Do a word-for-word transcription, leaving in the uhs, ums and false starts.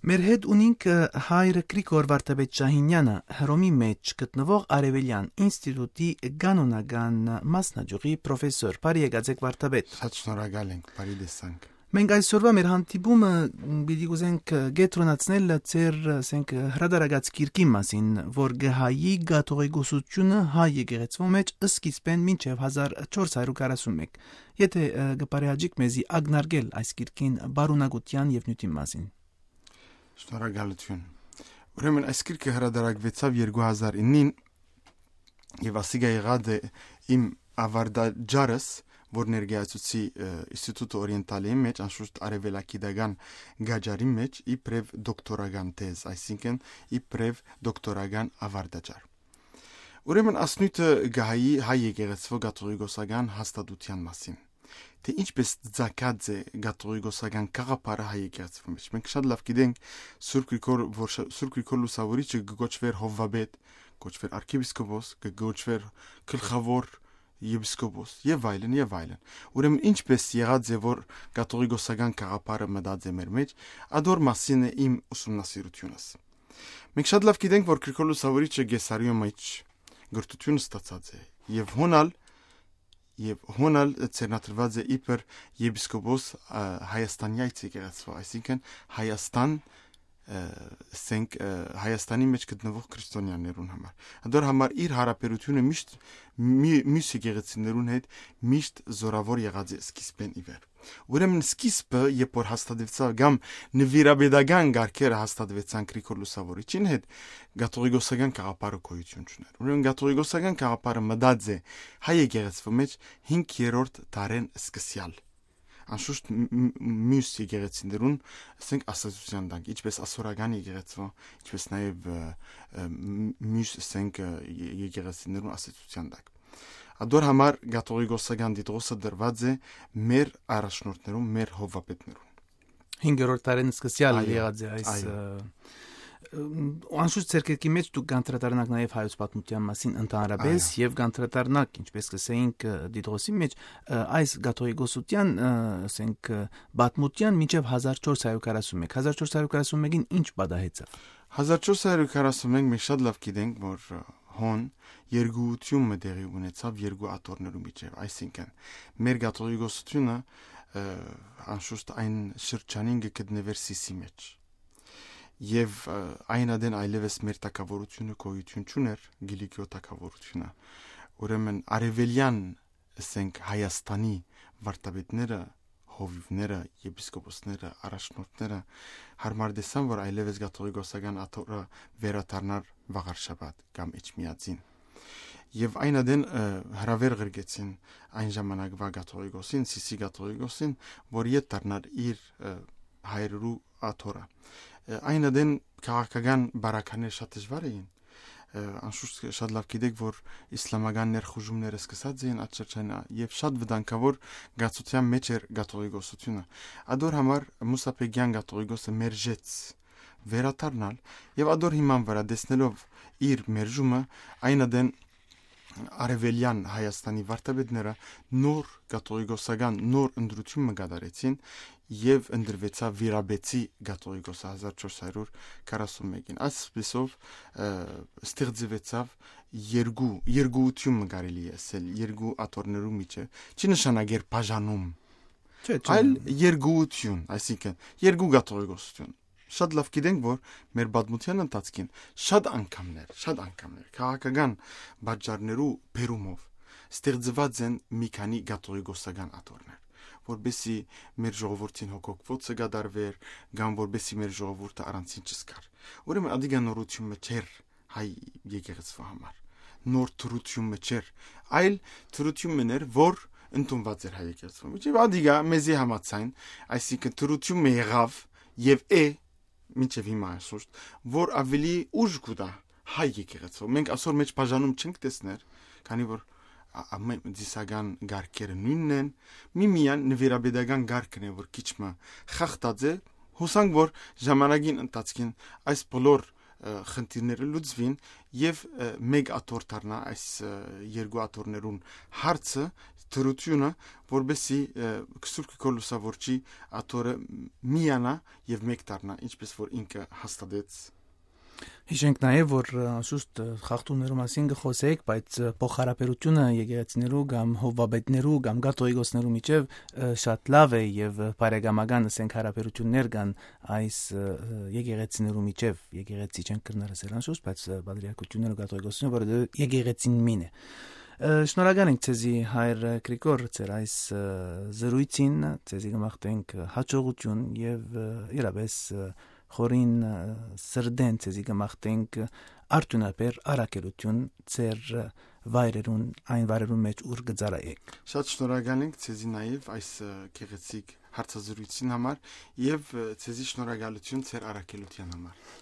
Մեր հետ ունինք, ը, հայրը Գրիգոր Վարդապետ Շահինեանը, Հռոմի մէջ գտնուող Արեւելեան ինստիտուտի կանոնական մասնաճյուղի պրոֆեսոր։ Բարի եկած եք, Վարդապետ։ Շատ շնորհակալ ենք, բարի տեսանք։ Մենք այսօրվա մեր հանդիպումը պիտի կուզենք, ը, կեդրոնացնել ձեր, ը, ասենք, ը, հրատարակած գիրքին մասին, որ կը հայի կաթողիկոսությունը հայ եկեղեցւոյ մէջ սկիզբէն մինչեւ հազար չորս հարիւր քառասուն մէկ։ Եթէ, ը, կը բարեհաճիք մեզի ակնարկել այս գիրքին պարունակութեան եւ նիւթին մասին։ Շնորհակալութիւն։ Ուրեմն այս գիրքը հրատարակուեցաւ երկու հազար իննին եւ ասիկա եղած է իմ աւարտաճառս, որ ներկայացուցի, ը, Ինստիտուտը Օրիենտալիի մէջ, անշուշտ արեւելագիտական գաճառի մէջ, իբրեւ դոկտորական թեզ, այսինքն իբրեւ դոկտորական աւարտաճառ։ Ուրեմն ասնոյթը կը հայի հայ եկեղեցւոյ կաթողիկոսական հաստատութեան մասին, թէ ինչպէս ծագած է կաթողիկոսական գաղափարը հայ եկեղեցւոյ մէջ։ Մենք շատ լաւ գիտենք Սուրբ Գրիգոր, որ շ-, Սուրբ Գրիգոր Լուսաւորիչը կը կոչուէր հովվապետ, կոչուէր արքեպիսկոպոս, կը կոչուէր գլխաւոր եպիսկոպոս եւ այլն, եւ այլն։ Ուրեմն ինչպէս եղած է, որ կաթողիկոսական գաղափարը մտած է մեր մէջ, ադոր մասին է իմ ուսումնասիրութիւնս։ Մենք շատ լաւ գիտենք, որ Գրիգոր Լուսաւորիչը Կեսարիոյ մէջ կրթութիւն ստացած է եւ հոն ալ, եւ հոն ալ ձեռնադրուած է իբր եպիսկոպոս, ա, Հայաստանի այս եկեղեցւոյ, այսինքն Հայաստան, ը, ասենք, ը, Հայաստանի մէջ գտնուող քրիստոնեաներուն համար։ Ադոր համար իր յարաբերութիւնը միշտ մի-, միւս եկեղեցիներուն հետ միշտ զօրաւոր եղած է սկիզբէն ի վեր։ Ուրեմն սկիզբը, երբ որ հաստատուեցաւ կամ նուիրապետական կարգերը հաստատուեցան Գրիգոր Լուսաւորիչին հետ, կաթողիկոսական գաղափարը գոյութիւն չունէր։ Ուրեմն կաթողիկոսական գաղափարը մտած է հայ եկեղեցւոյ մէջ հինգերորդ դարէն սկսեալ։ Անշուշտ մ-, մ-, միւս եկեղեցիներուն, ասենք, ասացութեան տակ, ինչպէս ասորական եկեղեցւոյ, ինչպէս նաեւ, ը, ը, մ-, միւս, ասենք, ը, ե-, եկեղեցիներուն ասացութեան տակ։ Ադոր համար կաթողիկոսական դիտողսը դրուած է մեր առաջնորդներուն, մեր հովվապետներուն։ Հինգերորդ դարէն սկսեալ Այո, եղած է այս, այո։ ը, ը, անշուշտ ձեր կերքի մէջ դուք կանդրադառնաք նաեւ հայոց պատմութեան մասին ընդհանրապէս Այո։ եւ կանդրադառնաք, ինչպէս կ'ըսէինք, ը, դիտողսի մէջ, ը, այս կաթողիկոսութեան, ը, ասենք, ը, պատմութեան մինչեւ հազար չորս հարիւր քառասուն մէկ։ Հազար չորս հարիւր քառասուն մէկին ի՞նչ պատահեցաւ։ Հազար չորս հարիւր քառասուն մէկ մենք շատ լաւ գիտենք, որ, ը, հոն երկուութիւն մը տեղի ունեցաւ երկու աթոռներու միջեւ, այսինքն մեր կաթողիկոսութիւնը, ը, անշուշտ այն շրջանին կը գտնուէր Սիսի մէջ։ Եւ, ը, այն ատեն այլեւս մեր թագաւորութիւնը գոյութիւն չունէր, Կիլիկիոյ թագաւորութիւնը։ Ուրեմն արեւելեան, ասենք, Հայաստանի վարդապետները, հովիւները, եպիսկոպոսները, առաջնորդները յարմար տեսան, որ այլեւս կաթողիկոսական աթոռը վերադառնար Վաղարշաբաթ կամ Էջմիածին։ Եւ այն ատեն, ը, հրաւեր ղրկեցին այն ժամանակվա կաթողիկոսին, Սիսի կաթողիկոսին, որ ետ դառնար իր, ը, հայրերու աթոռը։ Ը, այն ատեն քաղաքական բարականեր շատ դժուար էին։ Ը, անշուշտ շատ լաւ գիտեք, որ իսլամական ներխուժումները սկսած էին այդ շրջանը, եւ շատ վտանգաւոր գացության մէջ էր կաթողիկոսությունը։ Ադոր համար Մուսա Բեգեան կաթողիկոսը մերժեց վերադառնալ, եւ ադոր հիման վրայ, տեսնելով իր մերժումը, այն ատեն արեւելեան Հայաստանի վարդապետները նոր կաթողիկոսական նոր ընտրութիւն մը կատարեցին եւ ընտրուեցաւ Վիրաբեցի կաթողիկոսը հազար չորս հարիւր քառասուն մէկին։ Այսպիսով, ը, ստեղծուեցաւ երկու, երկուութիւն մը կարելի է ասել, երկու աթոռներու միջեւ։ Չի նշանակեր բաժանում, Չէ, չէ։ այլ երկուութիւն, այսինքն երկու կաթողիկոսութիւն։ Շատ լաւ գիտենք, որ մեր պատմութեան ընթացքին շատ անգամներ, շատ անգամներ քաղաքական պատճառներու բերումով ստեղծուած են մի քանի կաթողիկոսական աթոռներ, որպեսզի մեր ժողովուրդին հոգոկվոցը կատարվեր, կամ որպեսզի մեր ժողովուրդը առանցին չզգար։ Ուրեմն ադիկա նորութիւն մը չէր հայ եկեղեցւոյ համար, նոր թրութիւն մը չէր, այլ թրութիւն մը էր, որ ընդունուած էր հայ եկեղեցւոյ մէջ։ Եւ ադիկա մեզի համաձայն, այսինքն թրութիւն մը եղաւ եւ է, մինչեւ հիմա անշուշտ, որ աւելի ուժ կու տայ հայ եկեղեցւոյ։ Մենք ասոր մէջ բաժանում չենք տեսներ, քանի որ ա-, ամեն ծիսական կարգերը նոյնն են, միմիան նուիրապետական կարգն է, որ քիչ մը խախտած է, յուսանք, որ ժամանակին ընթացքին այս բոլոր, ը, խնդիրները լուծուին եւ, ը, մէկ աթոռ դառնայ այս, ը, երկու աթոռներուն հարցը, դրութիւնը, որպեսզի, ը, Սուրբ Գրիգոր Լուսաւորչի աթոռը միանայ եւ մէկ դառնայ, ինչպէս որ ինքը հաստատեց։ Յիշենք նաեւ, որ, ը, անշուշտ, ը, խախտումներու մասին կը խօսենք, բայց, ը, փոխհարաբերութիւնը եկեղեցիներու կամ հովուապետներու կամ կաթողիկոսներու միջեւ, ը, շատ լաւ է եւ, ը, բարեկամական, ասենք, հարաբերութիւններ կան այս, ը, ը, եկեղեցիներու միջեւ, եկեղեցի չենք կրնար ասել անշուշտ, բայց, ը, պատրիարքութիւնները, կաթողիկոսները, որովհետեւ եկեղեցին մին է։ Ը, շնորհակալ ենք ձեզի, հայր Գրիգոր, ձեր այս, ը, զրոյցին, ձեզի կը մաղթենք հաջողութիւն եւ, ը, իրապէս, ը, խորին, ը, սրտէն ձեզի կը մաղթենք արդիւնաբեր առաքելութիւն ձեր, ը, վայրերուն, այն վայրերուն մէջ, ուր կը ծառայէք։ Շատ շնորհակալ ենք ձեզի նաեւ այս, ը, գեղեցիկ հարցազրույցին համար եւ, ը, ձեզի շնորհակալութիւն ձեր առաքելութեան համար։